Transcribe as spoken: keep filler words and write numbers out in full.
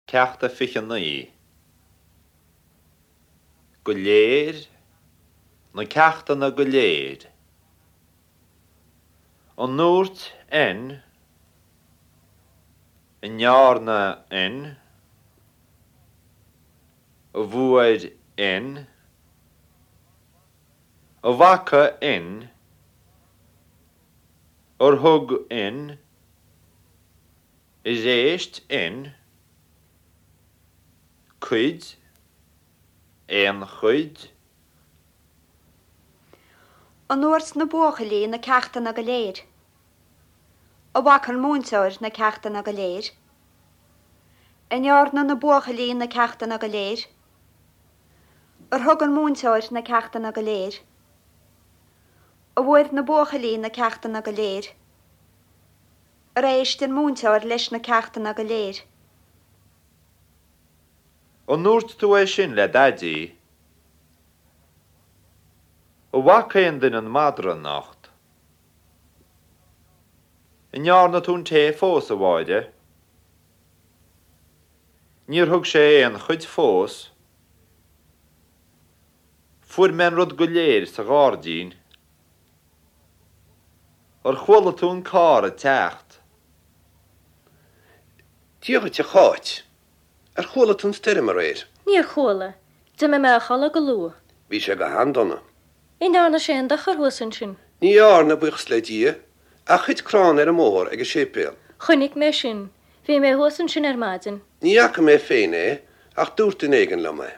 Ceacht a fiche naoi. Go léir, na ceachtanna go léir. An ndúirt N? An ndearna N? An bhfuair N? An bhfaca N? Ar thug N? Ar éist N? Cuid, aon chuid. An ndúirt na buachaillí na ceachtanna go léir? An bhfaca an múinteoir na ceachtanna go léir? An ndearna na buachaillí na ceachtanna go léir? Ar thug an múinteoir na ceachtanna go léir? An bhfuair na buachaillí na ceachtanna go léir? Ar éist an múinteoir leis na ceachtanna go léir? An ndúirt tú é sin le Daidí? An bhfaca aon duine an madra anocht? An ndearna tú an tae fós, a Mháire? Níor thug sé aon chuid fós. Fuair mé an rud go léir sa ghairdín. Ar chuala tú an carr ag teacht? Dia dhuit a Cháit. Ar chuala tú an stoirm aréir? Níor chuala. D'imigh mé a chodladh go luath. Bhí sé go han-dona. An ndearna sé aon dochar thuas ansin? Ní dhearna, buíochas le Dia, ach thit crann ar an mbóthar ag an séipéal. Chonaic mé sin. Bhí mé thuas ansin ar maidin. Ní fhaca mé féin é, ach dúirt duine éigin liom é.